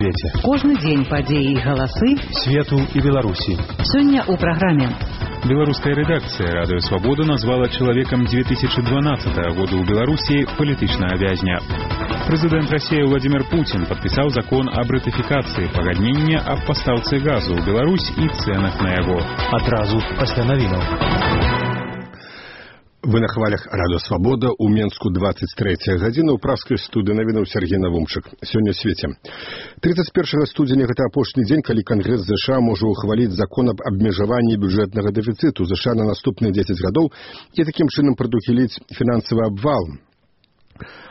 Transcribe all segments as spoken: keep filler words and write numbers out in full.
свеце. Кожны дзень падзеі і галасы свету і Беларусі. Сёння ў праграме. Беларуская рэдакцыя «Радыё Свабода» назвала чалавекам две тысячи двенадцатого года ў Беларусі палітычнага вязня. Прэзідэнт Расіі Владимир Путин подпісаў закон аб ратыфікацыі пагаднення аб пастаўцы газу ў Беларусь і цэнах на яго. Адразу пасля навінаў. Вы на хвалях «Радыё Свабода», у Менску двадцать третья гадзіна, ў пражскай студыі навінаў Сергей Навумчык. Сёння свеце. тридцать первого студзеня гэта апошні дзень, калі Кангрэс ЗША можа ухваліць закон аб абмежаванні бюджэтнага дэфіцыту ЗША на наступныя дзесяць гадоў і такім чынам прадухіліць фінансавы абвал.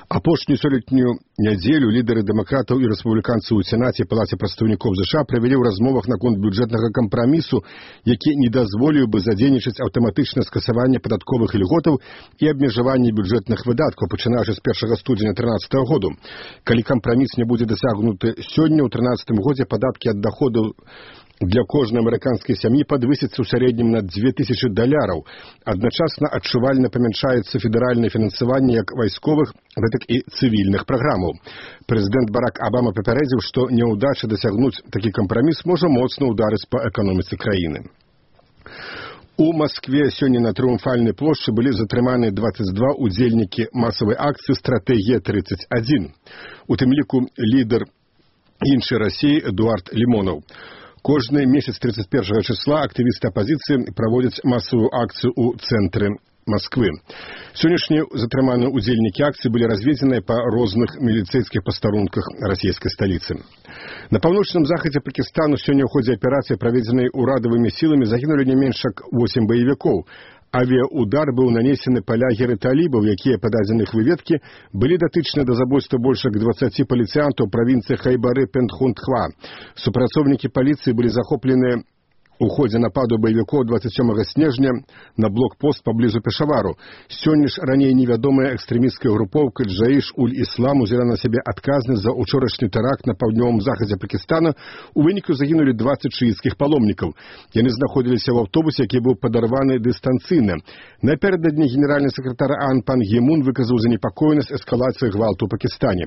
Апошнюю сёлетнюю нядзелю лідары дэмакратаў і рэспубліканцаў у Сенаце і Палаце прадстаўнікоў ЗША правялі ў размовах наконт бюджэтнага кампрамісу, які не дазволіў бы задзейнічаць аўтаматычнае скасаванне падатковых ільготаў і абмежаванне бюджэтных выдаткаў, пачынаючы з першага студзеня трынаццатага году. Калі кампраміс не будзе дасягнуты сёння, ў трынаццатым годзе падаткі ад даходаў для кожнай амерыканскай сям'і падвысяцца ў сярэднім на две тысячи даляраў. Адначасна адчувальна памяншаецца федэральнае фінансаванне як вайсковых, гэтак і цывільных праграмаў. Прэзідэнт Барак Абама папярэдзіў, што няўдача дасягнуць такі кампраміс можа моцна ўдарыць па эканоміцы краіны. У Маскве сёння на Трыумфальнай плошчы былі затрыманы двадцать два удзельнікі масавай акцыі «Стратэгія тридцать один». У тым ліку лідар іншай Расіі Эдуард Лімонаў. Кожны месяц тридцать первого числа актывісты апазіцыі праводзяць масавую акцыю ў цэнтры Москвы. Сённяшнія затрыманыя удзельнікі акцыі былі разведзеныя па розных міліцэйскіх пастарунках расійскай сталіцы. На паўночным захадзе Пакістану сёння ў ходзе аперацыі, праведзенай урадавымі сіламі, загінулі не менш як восемь баевікоў. Авіаудар быў нанесены па лагеры талібаў, якія, па дадзеных выведкі, былі датычны да забойства больш як дваццаці паліцыянтаў правінцыі Хайбары-Пентхунтхва. Супрацоўнікі паліцыі былі захоплены у ходзе нападу баевікоў двадцать сёмага снежня на блокпост паблізу Пешавару. Сёння ж раней невядомая экстрэмісцкая групоўка Джаіш-уль-Іслам узяла на сябе адказнасць за ўчорашні тэракт на паўднёвым захадзе Пакістана. У выніку загінулі двадцать шыіцкіх паломнікаў. Яны знаходзіліся ў аўтобусе, які быў падарваны дыстанцыйна. Напярэдадні генеральны сакратар ААН пан Гімун выказаў занепакоенасць эскалацыі гвалту ў Пакістане.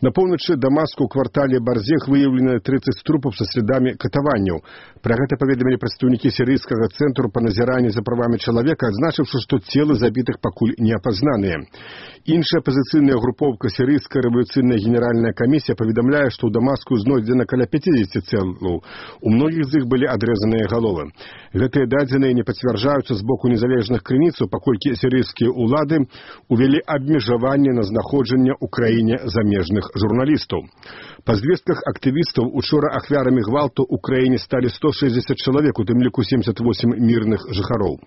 На поўначы Дамаску ў квартале Барзех выяўлена тридцать трупаў са слядамі катаванняў. Пра гэта паведамілі прадстаўнікі сірыйскага цэнтру па назіранні за правамі чалавека, адзначыўшы, што целы забітых пакуль не апазнаныя. Іншая апазіцыйная групоўка сірыйская рэвалюцыйная генеральная камісія паведамляе, што ў Дамаску знойдзена каля пятидесяти целаў. У многіх з іх былі адрэзаныя галовы. Гэтыя дадзеныя не пацвярджаюцца з боку незалежных крыніцаў, паколькі сірыйскія ўлады увялі абмежаванне на знаходжанне ў краіне замежных журналістаў. Па звестках актывістаў, учора ахвярамі гвалту ў краіне сталі сто шестьдесят чалавек, у тым ліку семьдесят восемь мірных жыхароў.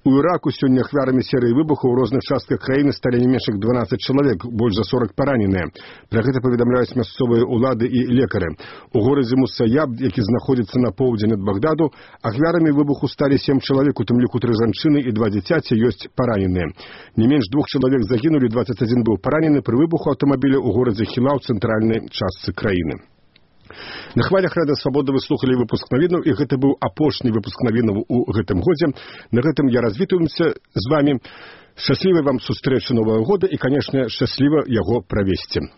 У Іраку сёння ахвярамі серыі выбухаў у розных частках краіны сталі не менш як дванаццаць чалавек, больш за сорок параненыя. Пра гэта паведамляюць мясцовыя ўлады і лекары. У горадзе Мусаяб, які знаходзіцца на поўдзень ад Багдаду, ахвярамі выбуху сталі сем чалавек, у тым ліку тры жанчыны і два дзіцяці, ёсць параненыя. Не менш двух чалавек загінулі, двадцать один быў паранены пры выбуху аўтамабіля ў горадзе Хіла ў цэнтральнай частцы краіны. На хвалях «Радыё Свабода» вы слухалі выпуск навінаў, і гэта быў апошні выпуск навінаў у гэтым годзе. На гэтым я развітваемся з вамі. Шчаслівай вам сустрэчы Новага года і, канешне, шчасліва яго правесці.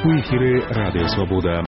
У эфіры «Радыё Свабода».